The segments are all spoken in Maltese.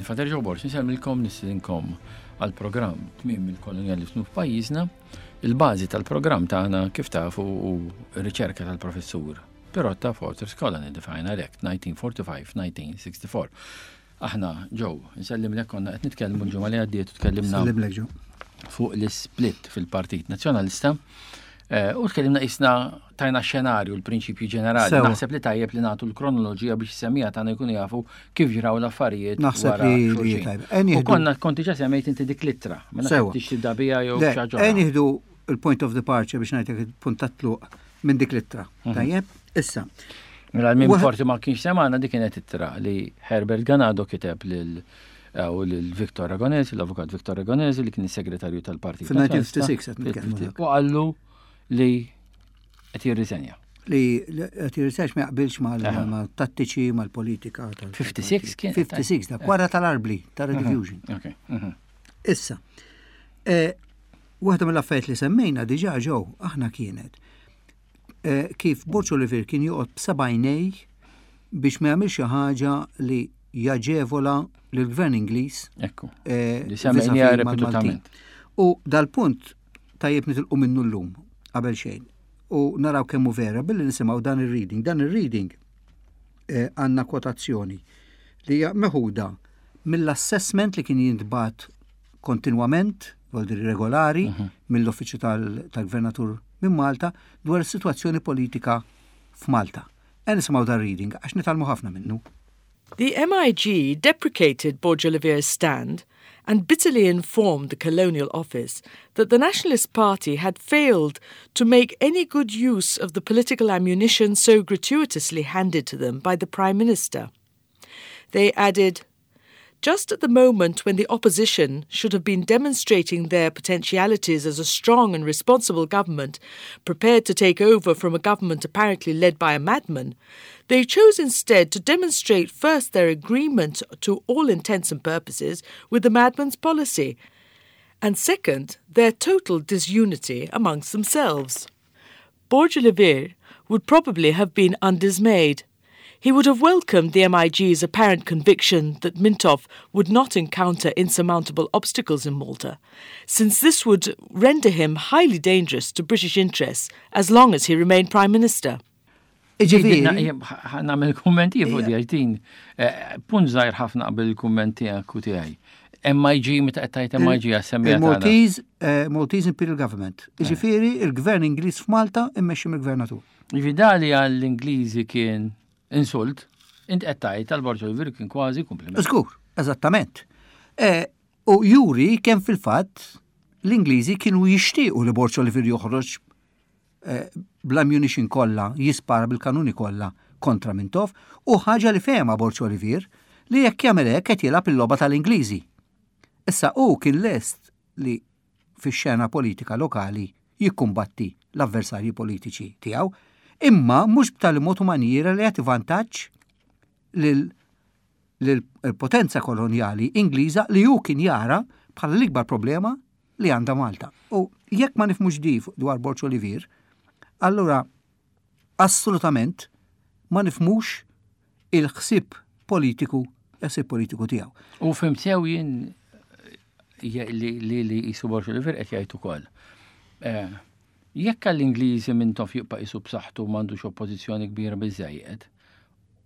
Jien Father Joe Borg, nsellmilkom nistedinkom għall-programm Tmiem il-Kolonjaliżmu f'pajjiżna. Il-bażi tal-programm tagħna kif tafu hu r-riċerka tal-Professur Pirotta Fortress Colony the Final Act 1945-1964. Aħna Joe, nsellimlek konna qed nitkellmu l-ġimgħa li għaddiet u tkellimna Sellimlek Joe. fuq l-split fil-Partit Nazzjonalista. Eh, u tkellimna isna tajna xenarju l-prinċipju ġenerali. Naħseb li tajjeb li nagħtu l-kronoloġija biex semmija tagħna jkunu jafu kif ġraw l-affarijiet. Naħseb li tajjeb. U konna konti ġa semmejt inti dik l-ittra. Ma nafx tibda bija jew xi ħaġa. Nieħdu il-point of departure biex ngħidlek il-punt ta' tluq minn dik l-ittra. Mhm. Tajjeb, issa. Mela min forsi ma kienx semana dik kienet ittra li Herbert Ganado kiteb lil eh, u lil Victor Ragonesi, l-avukat Victor Ragonesi li kien is-segretarju tal-partit. Fil-1956 qed nitkellmu. U qallu li qed jirriżenja. Li qed jirriżenja ma jaqbilx mal-tattiċi, mal-politika. 56 kien. 56 dak wara tal-arbli, tal-rediffusion. Mhm. Issa, eh, waħda mill-affarijiet li semmejna diġà ġew aħna kienet eh, kif Borġ Olivier kien joqgħod b'sebgħinej biex ma jagħmilx xi ħaġa li jaġevola lill-gvern Ingliż. Ekku. Eh, li semmejna ripetutament. U dal-punt tajjeb nitilqu minnu llum qabel xejn u naraw kemm hu vera billi nisimgħu dan ir-reading. Dan ir-reading eh, għandna kwotazzjoni li hija meħuda mill-assessment li kien jintbagħat kontinwament, vuol regolari, mhm. mill-Uffiċċju tal-Gvernatur minn Malta dwar is-sitwazzjoni politika f'Malta. E nisimgħu dan reading għax nitgħallmu ħafna minnu. The MIG deprecated Borg Olivier's stand and bitterly informed the Colonial Office that the Nationalist Party had failed to make any good use of the political ammunition so gratuitously handed to them by the Prime Minister. They added, Just at the moment when the opposition should have been demonstrating their potentialities as a strong and responsible government, prepared to take over from a government apparently led by a madman, they chose instead to demonstrate first their agreement to all intents and purposes with the madman's policy, and second, their total disunity amongst themselves. Borja Levere would probably have been undismayed. He would have welcomed the MIG's apparent conviction that Mintoff would not encounter insurmountable obstacles in Malta, since this would render him highly dangerous to British interests as long as he remained Prime Minister. Ġifieri. Nagħmel kumment fuq di din. Eh, punt żgħir ħafna qabel il-kumment tiegħek u tiegħi. MIG meta qed tgħid MIG għas-semmija. Maltese, eh, Maltese Imperial Government. Eh. Ġifieri il-Gvern Ingliż f'Malta immexxi mill-Gvernatur. Jiġifieri dali għall-Ingliżi kien insult, int qed tgħid tal-Borġ Olivier kien kważi kompliment. Żgur, eżattament. E, u juri kemm fil-fatt l-Ingliżi kienu jixtiequ li Borġ Olivier joħroġ e, bl-ammunition kollha, jispara bil-kanuni kollha kontra Mintoff, u ħaġa li fehma Borġ Olivier li jekk jagħmel hekk qed jilgħab il-logħba tal-Ingliżi. Issa hu kien lest li fix-xena politika lokali jikkumbatti l-avversarji politiċi tiegħu, imma mhux b'tali mod u manjiera li jagħti vantaġġ lill-potenza kolonjali Ingliża li hu kien jara bħala l-ikbar problema li għandha Malta. U jekk ma nifhmux di dwar Borg Olivier, allura assolutament ma nifhmux il-ħsieb politiku, il-ħsieb politiku tiegħu. U fhimt sew jien li li jisu Borg Olivier qed jgħid ukoll. Eh, jekk għall-Ingliżi Mintoff jibqa' jisu b'saħħtu m'għandux oppożizzjoni kbira biżejjed,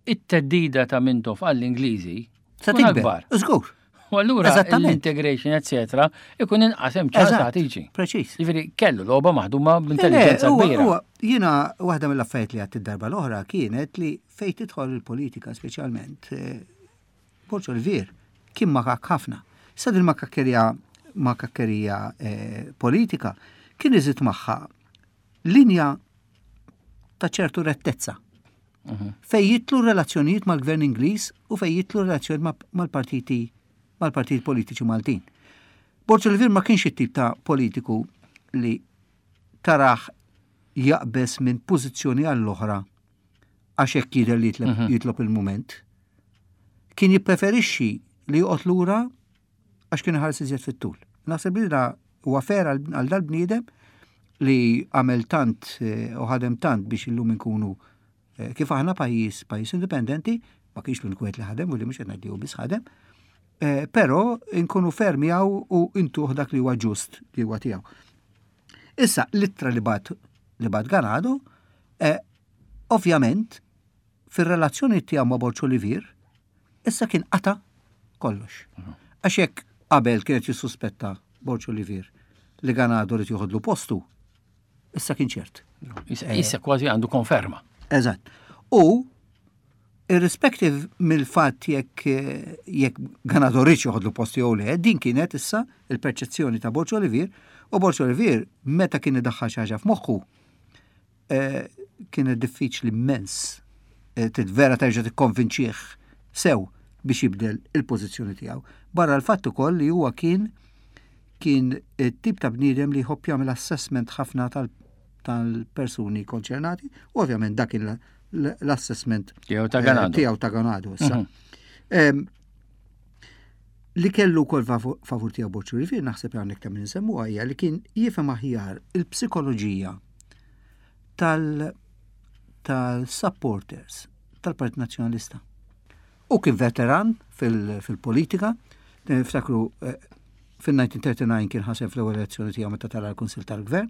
it-theddida ta' Mintoff għall-Ingliżi Se tikber. Żgur. U allura l-integration, eccetera, ikun inqas hemm ċans ta' tiġi. Preċiż. Jiġifieri kellu logħba maħduma b'intelligenza kbira. Jiena waħda mill-affarijiet li għadt id-darba l-oħra kienet li fejn tidħol il-politika speċjalment eh, Borġ Olivier kien makak ħafna. Sa din makakkerija makakkerija eh, politika kien iżid magħha linja ta' ċertu rettezza. Mhm. Fej jitlu relazzjonijiet mal-gvern Ingliż u fej jitlu relazzjonijiet mal-partiti mal-partiti politiċi Maltin. Borġ Olivier ma kienx it-tip ta' politiku li taraħ jaqbeż minn pożizzjoni għall-oħra għax hekk jidher li mhm. jitlob il-mument. Kien jippreferixxi li joqgħod lura għax kien iħares iżjed fit-tul. Naħseb li da huwa fer għal dal-bniedem li għamel tant eh, u ħadem tant biex illum inkunu eh, kif aħna pajjiż pajjiż indipendenti, ma kienx l-uniku li ħadem u li mhux qed ngħid biss ħadem. Eh, però nkunu fermi miegħu u intuh dak li huwa ġust li huwa tiegħu. Issa, l-ittra li bat li bat Ganado, eh, ovvjament, fir-relazzjoni tiegħu ma' Borg Olivier, issa kien qata' kollox. Għax jekk qabel kienet jissuspetta Borg Olivier li Ganado li joħodlu postu, issa kien ċert. Issa kważi għandu konferma. Eżatt. U irrespective mill-fatt jekk jekk Ganado riedx joħodlu postu jew le, din kienet issa il-perċezzjoni ta' Borg Olivier u Borg Olivier meta kien idaħħal xi ħaġa f'moħħu eh, kienet diffiċli immens eh, vera terġa' tikkonvinċih sew biex jibdel il-pożizzjoni tiegħu. Barra l-fatt ukoll li huwa kien kien tip ta' bniedem li jħobb jagħmel assessment ħafna tal-persuni konċernati u ovvjament dak kien l-assessment tiegħu ta' Ganado. Tiegħu ta' Ganado issa. Mhm. Li kellu wkoll favur tiegħu Borg Olivier naħseb hawnhekk ta' min insemmuha hija li kien jifhem aħjar il-psikoloġija tal tal-supporters tal-Partit Nazzjonalista. U kien veteran fil-politika, ftakru eh, fil-1939 kien ħaseb fl-ewwel elezzjoni tiegħu meta tara l-Kunsill tal-Gvern,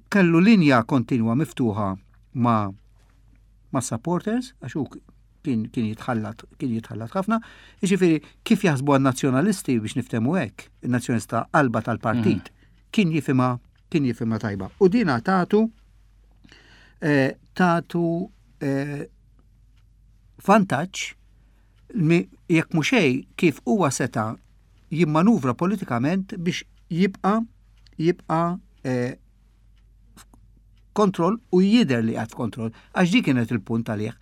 kellu linja kontinwa miftuħa ma' ma' supporters, għax hu kien, kien jitħallat kien jitħallat ħafna. Jiġifieri kif jaħsbu għan-nazzjonalisti biex niftehmu hekk, in-nazzjonalista qalba tal-partit, mm. kien jifhimha kien jifhimha tajba. U dina tagħtu eh, tagħtu eh, vantaġġ jekk mhux kif huwa seta' jimmanuvra politikament biex jibqa' jibqa' eh, kontroll u jidher li għad kontroll, għax dik kienet il-punt għalih.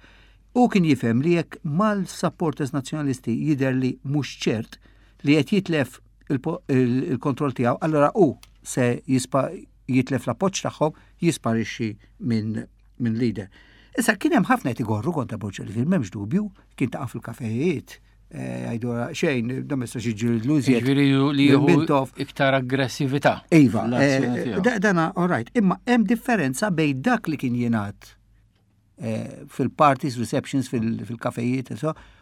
U kien jifhem li jekk mal-supporters nazzjonalisti jidher li mhux ċert li qed jitlef il-kontroll tiegħu, allora hu se jispa jitlef l-appoġġ tagħhom jisparixxi minn min leader. Issa kien hemm ħafna qed igorru kontra Borg Olivier, m'hemmx dubju, kien taqa' fil-kafejiet, eh, jgħidu xejn, da ma jistax jiġġieldu iżjed. Jiġifieri li jieħu iktar aggressività. Iva, eh, dana, all right, imma hemm differenza bejn dak li kien jingħad eh, fil-parties, receptions, fil-kafejiet,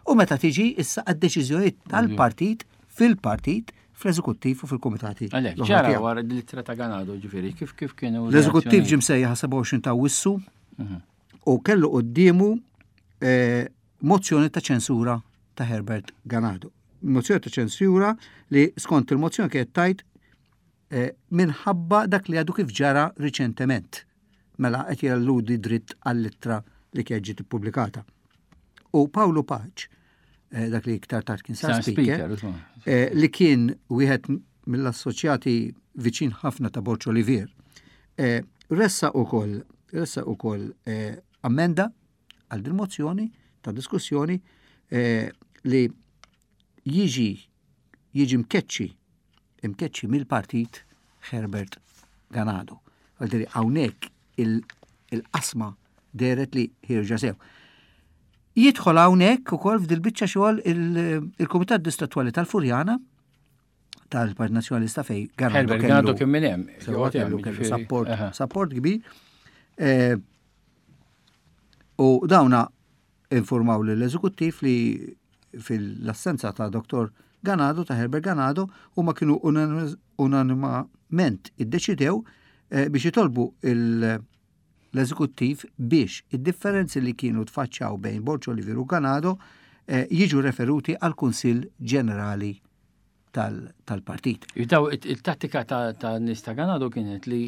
u meta tiġi issa għad-deċiżjonijiet tal-partit fil-partit fl-eżekuttiv u fil-komitati. Għalek, ġara wara l-ittra ta' Ganado, ġifieri, kif kif kienu. L-eżekuttiv ġim sejjaħ 27 ta' wissu mhm. u kellu qoddiemu eh, mozzjoni ta' ċensura ta' Herbert Ganado. Mozzjoni ta' ċensura li skont il-mozzjoni kienet tajt eh, minħabba dak li għadu kif ġara riċentement. Mela qed jalludi dritt għall-ittra li kienet ġiet ippubblikata. U Paolo Paċ, eh, dak li iktar tard kien sar speaker, eh, li kien wieħed mill-assoċjati viċin ħafna ta' Borċ Olivier, ressa ukoll ressa ukoll ammenda għal din mozzjoni ta' diskussjoni eh, li jiġi jiġi mkeċċi imkeċċi mill-partit Herbert Ganado. Għaldiri hawnhekk il-qasma deret li ħirġa sew. Jidħol hawnhekk ukoll f'dil biċċa xogħol il-Kumitat Distrettwali tal-Furjana tal-Partit Nazzjonalista fej Ganado kellu kien minn hemm. Kellu support, support kbir. Eh, U dawna informaw lill-eżekuttiv li fil-assenza ta' Dr. Ganado, ta' Herbert Ganado, huma kienu unanimament iddeċidew eh, biex jitolbu l-eżekuttiv biex id-differenzi li kienu tfaċċaw bejn Borg Olivier u Ganado eh, jiġu referuti għal Kunsill Ġenerali tal-partit. Daw il-tattika ta' nies ta' Ganado kienet li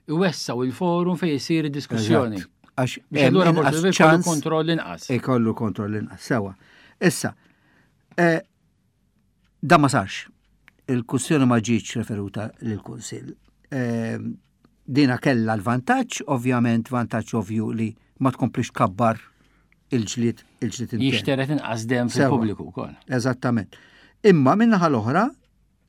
iwessaw il-forum fejn isir diskussjoni. Għax biex allura ċans kontroll inqas. Ikollu kontroll inqas, sewa. Issa, eh, da ma sarx. Il-kussjoni ma ġietx referuta lill-Kunsill. Eh, dina kella l-vantaġġ, ovvjament vantaġġ ovvju li ma tkomplix tkabbar il-ġlied il-ġlied intern. Jixteret inqas dem fil-pubbliku wkoll. Eżattament. Imma min-naħa l-oħra,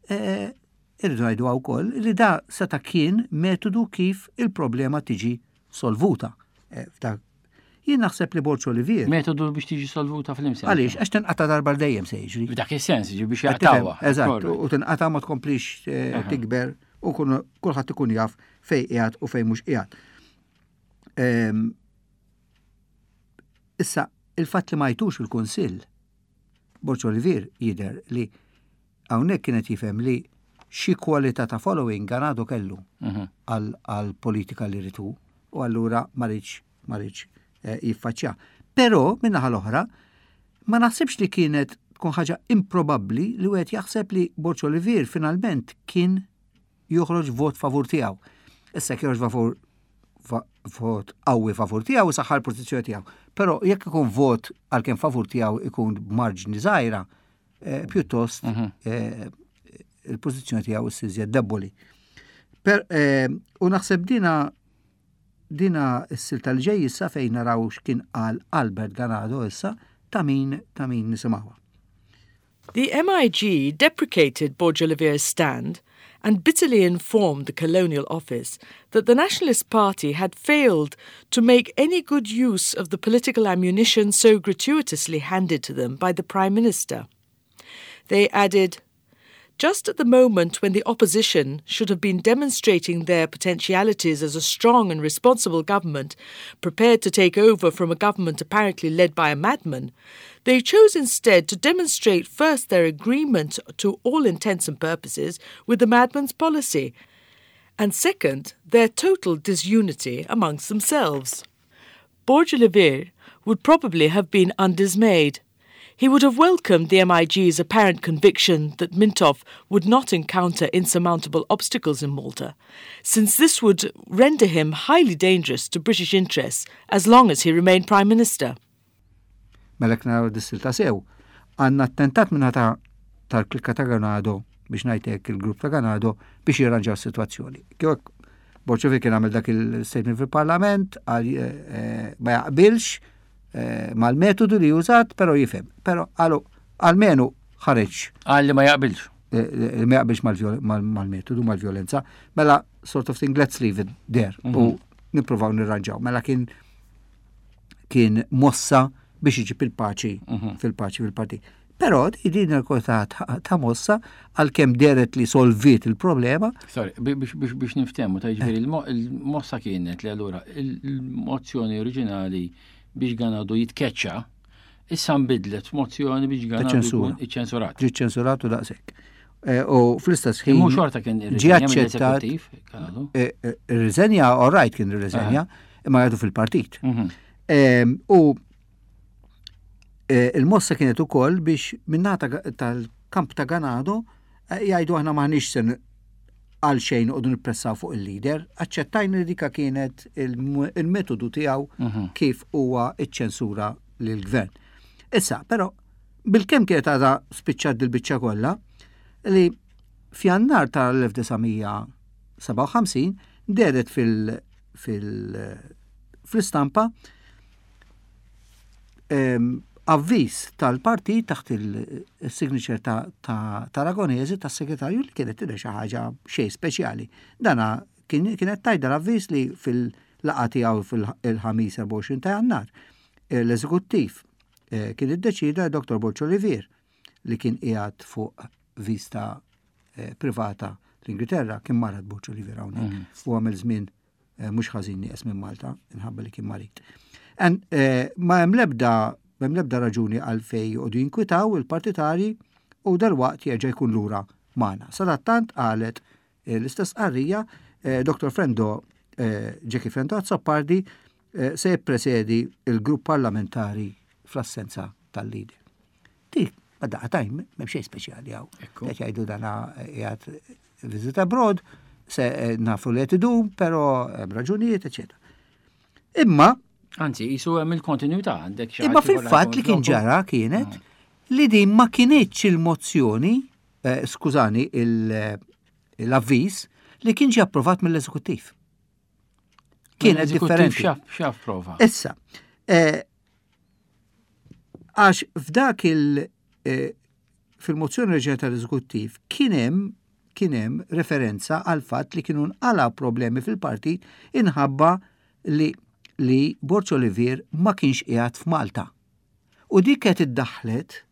eh, irridu ngħidu wkoll li da seta' kien metodu kif il-problema tiġi solvuta. Eh, jien naħseb li Borċ Olivier. Metodu biex tiġi solvuta fl-imsens. Għaliex, għax tinqata darba dejjem se jiġri. F'dak is-sens, ġi biex jaqtawha. Eżatt, u tinqata ma tkomplix eh, tikber u kulħadd ikun jaf fej qiegħed u fej mhux qiegħed. Ehm, Issa, il-fatt li ma jtux il-Kunsill, Borg Olivier jidher li Hawnhekk kienet jifhem li xi kwalità ta' following Ganado kellu mhm. għal politika li ritu u allura ma riedx ma riedx eh, jiffaċċja. Però min-naħa l-oħra ma naħsibx li kienet tkun ħaġa improbabbli li wieħed jaħseb li Borg Olivier finalment kien joħroġ vot favur tiegħu. Issa jekk joħroġ favur vot qawwi favur tiegħu saħħa l-pożizzjoni tiegħu. Però jekk ikun vot għalkemm favur tiegħu ikun b'marġni żgħira, eh, pjuttost mhm. eh, il-pożizzjoni tiegħu ssir debboli. Per, eh, u naħseb dina dina s-silta li ġej issa fejn naraw x'kien qal Albert Ganado issa ta' min ta' min nisimgħuha. The MIG deprecated Borg Olivier's stand and bitterly informed the Colonial Office that the Nationalist Party had failed to make any good use of the political ammunition so gratuitously handed to them by the Prime Minister. They added, Just at the moment when the opposition should have been demonstrating their potentialities as a strong and responsible government, prepared to take over from a government apparently led by a madman, they chose instead to demonstrate first their agreement to all intents and purposes with the madman's policy, and second, their total disunity amongst themselves. Borg Olivier would probably have been undismayed. He would have welcomed the MIG's apparent conviction that Mintoff would not encounter insurmountable obstacles in Malta, since this would render him highly dangerous to British interests as long as he remained Prime Minister. Mela jekk naraw dis-silta sew, għandna attentat minna ta' tal-klikka ta' Ganado biex ngħidlek il-grupp ta' Ganado biex jirranġaw s-sitwazzjoni. Kif Borċovi kien għamel dak il-statement fil-Parlament, għal eh, ma jaqbilx eh, mal-metodu li użat, pero jifhem. Pero għalu, almenu ħareġ. Għal li ma jaqbilx. Eh, ma jaqbilx mal-metodu, mal-violenza. Mela, sort of thing, let's leave it there. U mhm. nippruvaw nirranġaw. Mela kien kien mossa biex iġib il-paċi mhm. fil-paċi fil-partit. Però din il-kota ta' mossa għalkemm deret li solvit il-problema. Sorry, biex niftehmu ta' jiġifieri il-mossa kienet li allura il-mozzjoni oriġinali biex Ganado jitkeċċa issa nbidlet f'mozzjoni biex Ganado jkun iċċensurat. Ġi ċensurat u daqshekk. Eh, u fl-istess ħin. Mhux xorta kien ġi aċċettat. Eh, eh, irriżenja, all right kien irriżenja, imma għadu fil-partit. Mhm. Ehm, u il-mossa kienet ukoll biex minnata tal-kamp ta' Ganado jgħidu aħna maħniex sen għal xejn u nippressaw fuq il-leader, aċċettajna li dika kienet il-metodu tiegħu mhm. kif huwa iċ-ċensura lill-gvern. Issa, però, Bilkemm kienet għadha spiċċat dil-biċċa kollha li f'Jannar tal-1957 dehret fil, fil, fl-istampa ehm, avviż tal-partit taħt il-signature ta', ta, ta Aragonese tas-segretarju li kienet tidher xi ħaġa xejn speċjali. Dana kienet tajda l-avviż li fil-laqgħa tiegħu fil-ħamis 24 ta' Jannar l-eżekuttiv eh, kien iddeċida Dr. Borg Olivier li kien qiegħed fuq vista eh, privata l-Ingilterra kien marad Borg Olivier hawnhekk mhm. u għamel żmien eh, mhux ħażin nieqes minn Malta inħabba li kien marid. Ma hemm lebda hemm lebda raġuni għalfej joqogħdu jinkwitaw il-partitari u dalwaqt jerġa' jkun lura magħna. Sadattant qalet l-istess qarrija Dr. Frendo Jackie Frendo Azzopardi Eh, se jippresedi il-grupp parlamentari fl-assenza tal-leader. Dik, ma daqatajn, m'hemm xejn speċjali hawn. Qed jgħidu dana qiegħed viżita abroad, se eh, nafu li qed idum, però hemm raġunijiet, eċetera. Imma Anzi, jisu hemm il-kontinuità għandek xi Imma fil-fatt li kien ġara kienet mm. li din ma kienitx il-mozzjoni, eh, skużani, l-avviż li kien ġie approvat mill-eżekuttiv. Kienet differenti. Xaf prova. Issa, eh, għax f'dak il- eh, fil-mozzjoni reġjoni tal-eżekuttiv kien hemm kien hemm referenza għal fatt li kienu nqala problemi fil-partit inħabba li li Borg Olivier ma kienx qiegħed f'Malta. U dik qed iddaħħlet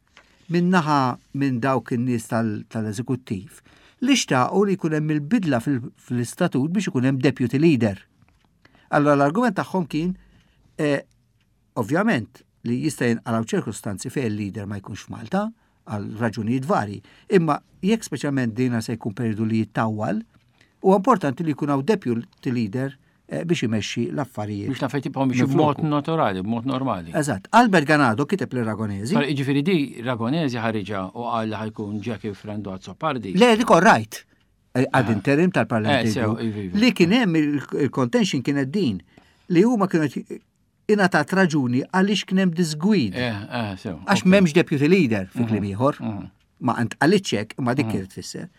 minn naħa minn dawk in-nies tal-eżekuttiv li xtaqu li jkun hemm il-bidla fl-istatut biex ikun hemm deputy leader. Allora l-argument tagħhom kien eh, ovvjament li jista' jinqalgħu ċirkustanzi fejn il-leader ma jkunx f'Malta. għal raġunijiet varji. Imma jekk speċjalment dina se jkun periodu li jittawwal, huwa importanti li jkun hawn deputy leader eh, biex imexxi l-affarijiet. Biex l-affarijiet jibqgħu miexi b'mod naturali, b'mod normali. Eżatt. Albert Ganado kiteb lil Ragonesi. Jiġifieri di Ragonesi ħariġha u qal li ħajkun Jackie Frendo Azzopardi. Le, dik all right. Eh, ad ah. interim tal-Parlament. Eh, iva, iva. Li kien hemm il-contention kienet din li huma kienu ingħatat raġuni għaliex kien hemm disgwid. Eh, eh, Għax m'hemmx deputy leader fi kliem mhm. ieħor. Mhm. Ma ntqalitx hekk, ma dik mhm. kienet tfisser.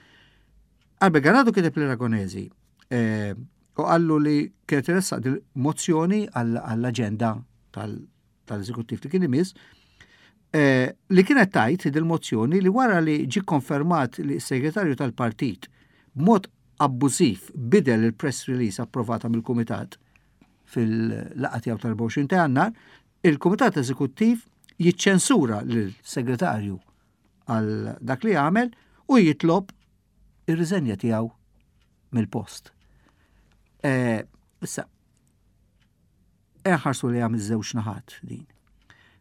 Albert Ganado kiteb li Ragonesi eh, u qallu li kienet iressaq mozzjoni għall-aġenda tal-eżekuttiv li kien imiss li kienet tajt dil-mozzjoni li wara li ġi konfermat li s-segretarju tal-partit b'mod abbużiv bidel il-press release approvata mill-kumitat fil-laqgħa tiegħu tal-24 ta' Jannar, il-Kumitat Eżekuttiv jiċċensura lill-Segretarju għal dak li għamel u jitlob ir-riżenja tiegħu mill-post. E, issa, eħarsu li għam iż-żewġ naħat din.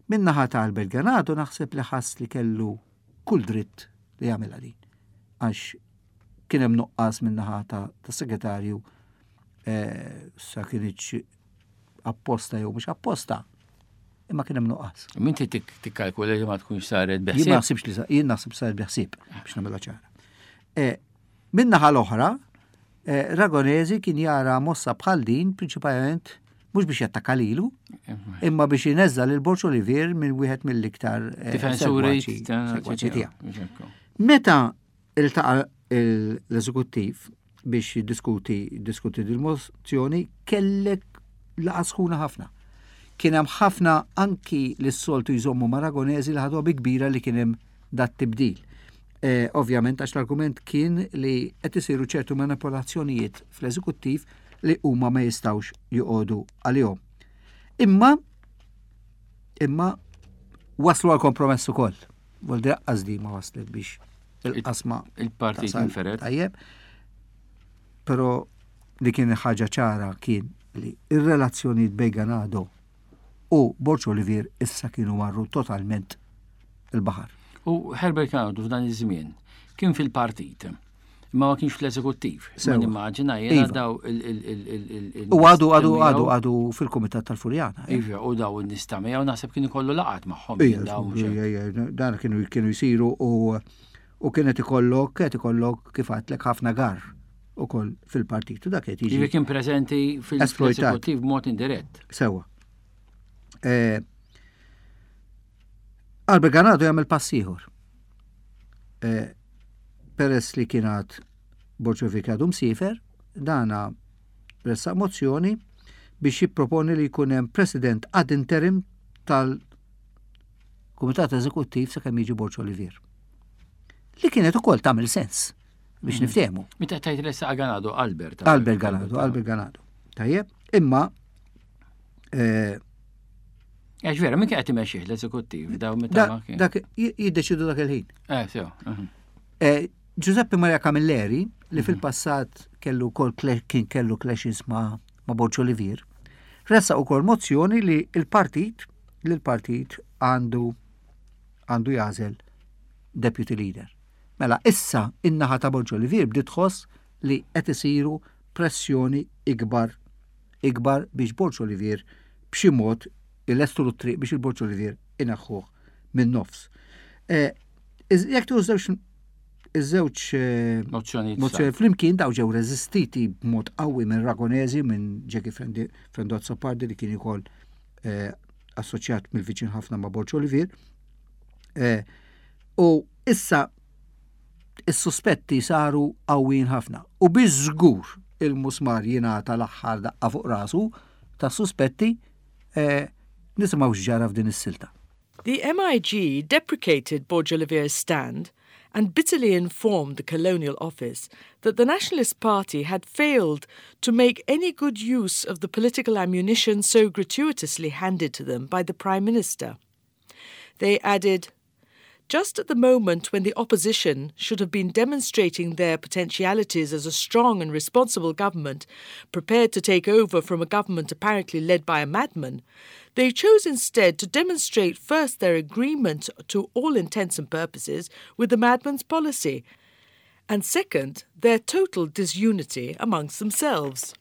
Min naħa ta' Albert Ganado naħseb li ħass li kellu kull dritt li jagħmilha din. Għax kien hemm nuqqas min naħa ta' segretarju eh, sa kienx apposta jew mhux apposta, imma kien hemm nuqqas. Minti tikkalkula li ma tkunx saret biħsieb. Jien naħsibx li jien naħseb saret biħsieb biex nagħmilha ċara. Eh, min naħa l-oħra, eh, Ragonesi kien jara mossa bħal din prinċipalment mhux biex jattakka lilu, imma biex ineżża lil Borġ Olivier minn wieħed mill-iktar difensuri tiegħu. Meta iltaqa' l-eżekuttiv biex jiddiskuti diskuti dil-mozzjoni kellek laqa sħuna ħafna. Kien hemm ħafna anki li s-soltu jżommu Maragonesi li ħadu bi kbira li kien hemm dat tibdil. Eh, ovvjament għax l-argument kien li qed isiru ċertu manipolazzjonijiet fl-eżekuttiv li huma ma jistgħux joqogħdu għalihom. Imma imma waslu għal kompromess ukoll. Voldi laqqas di ma waslet biex il-qasma. Il-partit infered. Tajjeb. Però li kien ħaġa ċara kien li ir-relazzjonijiet bejn Ganado u Borġ Olivier issa kienu marru totalment il-baħar. U Herbert Ganado f'dan iż-żmien kien fil-partit. Imma ma kienx fl-eżekuttiv. Ma nimmaġina jiena iva. daw il- U għadu għadu għadu għadu fil-Kumitat tal-Furjana. Eh? Iva, u daw in-nies ta' miegħu naħseb kienu kollu laqat magħhom. Iva, dan kienu kienu jsiru u u kienet ikollok, kienet ikollok kif għadtlek ħafna gar ukoll fil-partit. U dak qed jiġi. Iva kien preżenti fil-eżekuttiv b'mod indirett. Sewa. Eh, Albert Ganado jagħmel pass ieħor. Eh, peress li kien għad Borċovik għadu msiefer, dana ressaq mozzjoni biex jipproponi li jkun hemm president ad interim tal-Kumitat Eżekuttiv sakemm jiġi Borġ Olivier. Li kienet ukoll tagħmel sens biex mm. niftehmu. Meta tajt ressaq Ganado Albert. Albert Ganado, Albert Ganado. Tajjeb, imma eh, Għax vera, min kien qed imexxih l-eżekuttiv daw meta ma kien. Dak jiddeċidu dak il-ħin. Eh, sew. Mhm. Eh, Giuseppe Maria Camilleri, li mhm. fil-passat kellu kol kien kellu clashes ma' ma' Borġ Olivier, ressa u kol mozzjoni li il-partit li l-partit għandu għandu jażel deputy leader. Mela issa in-naħa ta' Borġ Olivier bdiet tħoss li qed isiru pressjoni ikbar ikbar biex Borg Olivier b'xi mod ilestulu t-triq biex il-Borg Olivier ineħħuh min-nofs. Eh, jekk tużu żewġ iż-żewġ eh, mozzjoni flimkien daw ġew reżistiti b'mod qawwi minn Ragonesi minn Jackie Frendozzo Pardi li kien ukoll eh, assoċjat mill-viċin ħafna ma' Borg Olivier. U issa Is-suspetti saru qawwijin ħafna u biex żgur il-musmar jingħata l-aħħar daqqa fuq rasu tas-suspetti, eh, nisimgħu x'ġara f'din is-silta. The MIG deprecated Borg Olivier's stand and bitterly informed the Colonial Office that the Nationalist Party had failed to make any good use of the political ammunition so gratuitously handed to them by the Prime Minister. They added, Just at the moment when the opposition should have been demonstrating their potentialities as a strong and responsible government, prepared to take over from a government apparently led by a madman, they chose instead to demonstrate first their agreement to all intents and purposes with the madman's policy, and second, their total disunity amongst themselves.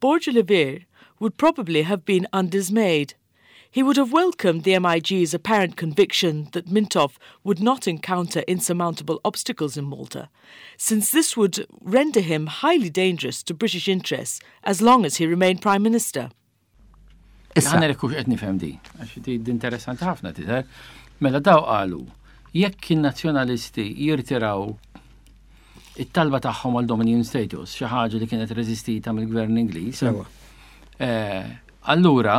Borg Olivier would probably have been undismayed. He would have welcomed the MIG's apparent conviction that Mintoff would not encounter insurmountable obstacles in Malta, since this would render him highly dangerous to British interests as long as he remained Prime Minister. Issa. Ħa nara hux qed nifhem di, għax di interessanti ħafna tidher. Mela daw qalu, jekk in-nazzjonalisti jirtiraw it-talba tagħhom għal Dominion status, xi ħaġa li kienet reżistita mill-gvern Ingliż. Allura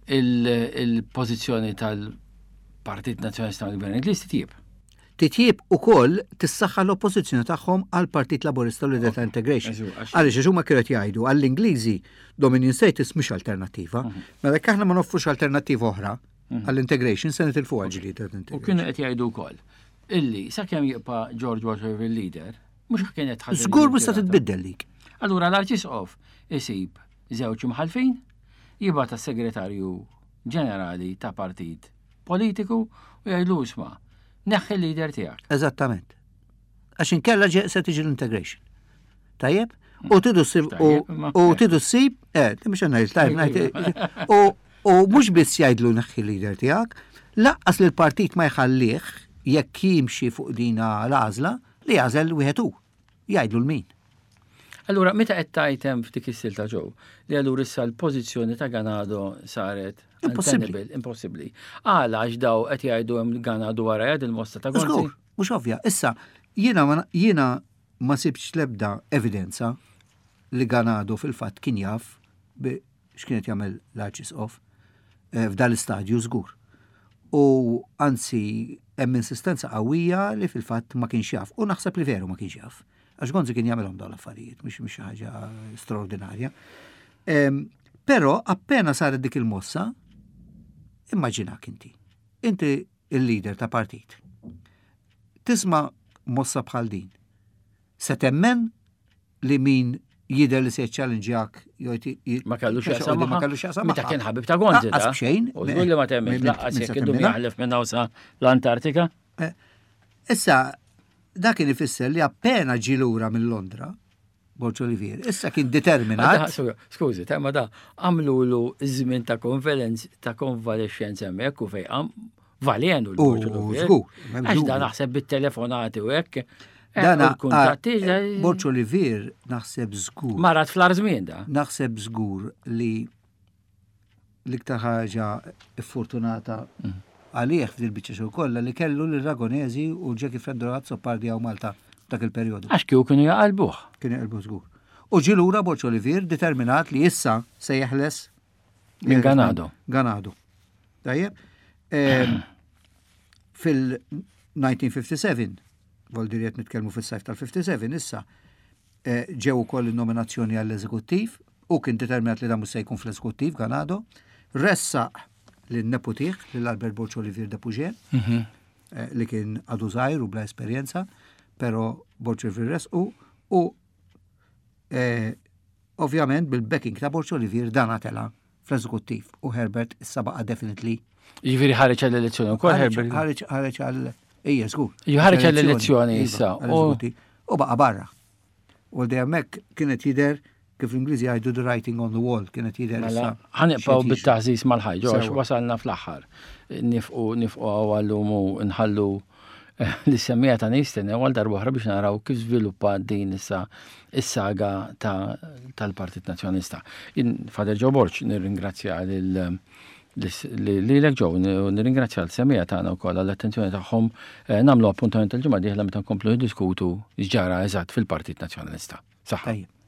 il-pożizzjoni tal-Partit Nazzjonalista mill-Gvern Ingliż titjib. Titjib ukoll tissaħħa l-oppożizzjoni tagħhom għal Partit Laburista u l-idea ta' integration. Għaliex huma kienu qed jgħidu għall-Ingliżi Dominion status mhux alternattiva. Mela jekk aħna ma noffrux alternattiva oħra għall-integration se nitilfu għal-ġlieda. U kienu qed jgħidu wkoll illi sakemm jibqa' George Washington il-leader, mhux kienet ħaġa. Żgur mhux se titbiddel dik. Allura l-Arċisqof isib żewġ imħalfin, jibgħat segretarju ġenerali ta' partit politiku u jgħidlu isma' neħħi l-leader tiegħek. Eżattament. Għax inkella se tiġi l-integration. Tajjeb? U tidu ssib u tidu ssib, eh, mhux ngħid tajjeb ngħid. U mhux biss jgħidlu neħħi l-leader tiegħek, laqqas li l-partit ma jħallih jekk jimxi fuq dina l-għażla li jagħżel wieħed hu. Jgħidlu l-min. Allura, meta qed tgħid hemm f'dik is-silta ġew, li allura issa l-pożizzjoni ta' Ganado saret impossibbli. Impossibbli. Għala għax daw qed jgħidu hemm Ganado wara jgħid il-mossa ta' Gonzi. Mhux ovvja. Issa, jiena jiena ma sibx l-ebda evidenza li Ganado fil-fatt kien jaf x'kienet jagħmel l-Arċisqof eh, f'dan l-istadju żgur. U anzi hemm insistenza qawwija li fil-fatt ma kienx jaf. U naħseb li veru ma kienx jaf. Għax Gonzi kien jagħmilhom dawn l-affarijiet, mhux xi ħaġa straordinarja. Però appena saret dik il-mossa, immaġinak inti. Inti il-leader ta' partit. Tisma' mossa bħal din. Se temmen li min jidher li se jċallenġjak ma kellux x'jaqsam ma kellux x'jaqsam meta kien ħabib ta' Gonzi ta' xejn. U żgur li ma temmen laqqas jekk idum jaħlef minn hawn sa l-Antartika. Eh, issa dak kien ifisser li appena ġie lura minn Londra, Borg Olivier, issa kien determinat. Skużi, ta' ma da, għamlulu żmien ta' konferenz ta' konvalescenza hemmhekk u fejn Valenu l-Borg Olivier. Għax da naħseb bit-telefonati u hekk. Eh, Dana, kuntatti. Eh, Borg Olivier naħseb żgur. Marat fl żmien da. Naħseb żgur li l-iktar ħaġa fortunata għalih f'dil biċċa xogħol kollha li kellu lil Ragonesi u Jackie Frendo Azzopardi hawn Malta dak il-perjodu. Għax kieku kienu jaqalbuh. Kienu jaqalbuh żgur. U ġie lura Borg Olivier determinat li issa se jeħles minn Ganado. Ganado. Tajjeb. Fil-1957, vol qed nitkellmu fis-sajf tal-57 issa, Ġew ukoll in-nominazzjoni għall-eżekuttiv, hu kien determinat li dan mhux se jkun fl-eżekuttiv Ganado, ressaq lin-neputih, lil Albert Borg Olivier de Puget, mhm. eh, li kien għadu żgħir u bla esperjenza, però Borg Olivier resqu u eh, ovvjament bil-backing ta' Borg Olivier dan tela fl-eżekuttiv u Herbert issa baqa' definitely. Jiġifieri ħareġ għall-elezzjoni wkoll Herbert. Ħareġ ħareġ għall ejja żgur. Ħareġ għall-elezzjoni iva, issa. U baqa' barra. U dejjem hekk kienet jidher kif l-Ingliżi jgħidu the writing on the wall kienet jidher mela, issa. Ħanibqgħu bit-taħżiż mal-ħajġ għax wasalna fl-aħħar. Nifqu nifqu għallum u nħallu li semmija ta' nistennew għal darba biex naraw kif żviluppa din issa is-saga tal-Partit Nazzjonalista. Fader Joe Borg nirringrazzja lil lilek Joe, nirringrazzja l-semija tagħna wkoll għall-attenzjoni tagħhom eh, nagħmlu appuntament il-ġimgħa dieħla meta nkomplu niddiskutu x'ġara eżatt fil-Partit Nazzjonalista. Saħħa.